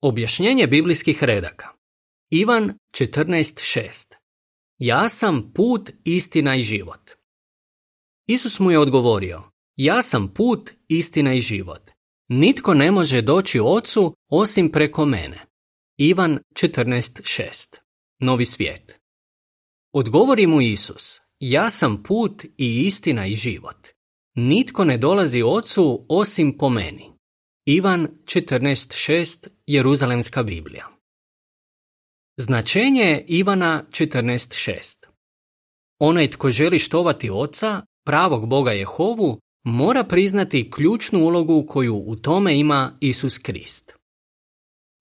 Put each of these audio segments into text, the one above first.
Objašnjenje biblijskih redaka. Ivan 14.6. Ja sam put, istina i život. Isus mu je odgovorio, ja sam put, istina i život. Nitko ne može doći Ocu osim preko mene. Ivan 14.6. Novi svijet. Odgovori mu Isus, ja sam put i istina i život. Nitko ne dolazi Ocu osim po meni. Ivan 14.6. Jeruzalemska Biblija. Značenje Ivana 14.6. Onaj tko želi štovati Oca, pravog Boga Jehovu, mora priznati ključnu ulogu koju u tome ima Isus Krist.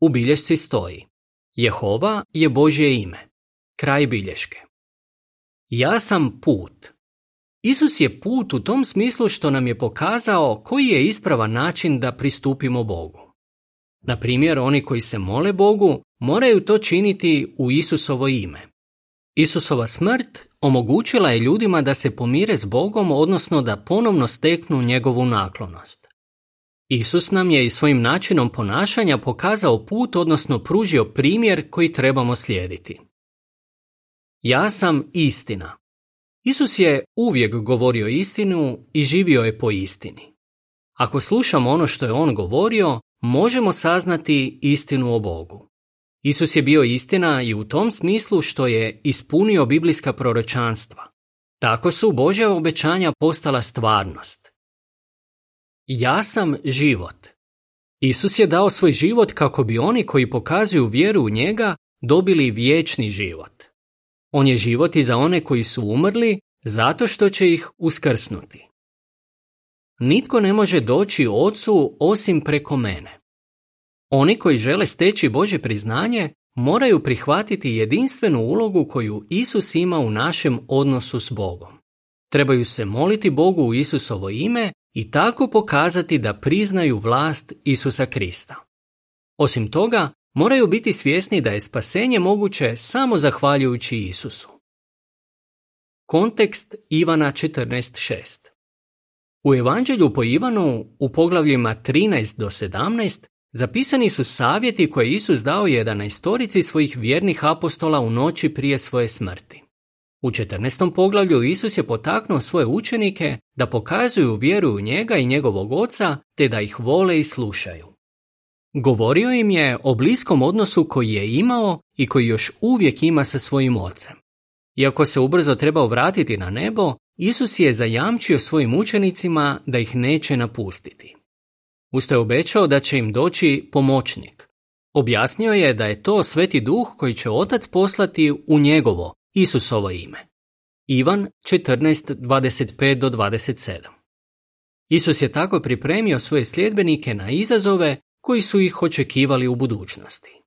U bilješci stoji, Jehova je Božje ime. Kraj bilješke. Ja sam put. Isus je put u tom smislu što nam je pokazao koji je ispravan način da pristupimo Bogu. Na primjer, oni koji se mole Bogu moraju to činiti u Isusovo ime. Isusova smrt omogućila je ljudima da se pomire s Bogom, odnosno da ponovno steknu njegovu naklonost. Isus nam je i svojim načinom ponašanja pokazao put, odnosno pružio primjer koji trebamo slijediti. Ja sam istina. Isus je uvijek govorio istinu i živio je po istini. Ako slušamo ono što je on govorio, možemo saznati istinu o Bogu. Isus je bio istina i u tom smislu što je ispunio biblijska proročanstva. Tako su Božja obećanja postala stvarnost. Ja sam život. Isus je dao svoj život kako bi oni koji pokazuju vjeru u njega dobili vječni život. On je život i za one koji su umrli zato što će ih uskrsnuti. Nitko ne može doći Ocu osim preko mene. Oni koji žele steći Božje priznanje moraju prihvatiti jedinstvenu ulogu koju Isus ima u našem odnosu s Bogom. Trebaju se moliti Bogu u Isusovo ime i tako pokazati da priznaju vlast Isusa Krista. Osim toga, moraju biti svjesni da je spasenje moguće samo zahvaljujući Isusu. Kontekst Ivana 14.6. U Evanđelju po Ivanu u poglavljima 13 do 17 zapisani su savjeti koje Isus dao 11 svojih vjernih apostola u noći prije svoje smrti. U 14. poglavlju Isus je potaknuo svoje učenike da pokazuju vjeru u njega i njegovog Oca te da ih vole i slušaju. Govorio im je o bliskom odnosu koji je imao i koji još uvijek ima sa svojim Ocem. Iako se ubrzo trebao vratiti na nebo, Isus je zajamčio svojim učenicima da ih neće napustiti. Usto je obećao da će im doći pomoćnik. Objasnio je da je to Sveti Duh koji će Otac poslati u njegovo, Isusovo ime. Ivan 14.25-27. Isus je tako pripremio svoje sljedbenike na izazove koji su ih očekivali u budućnosti.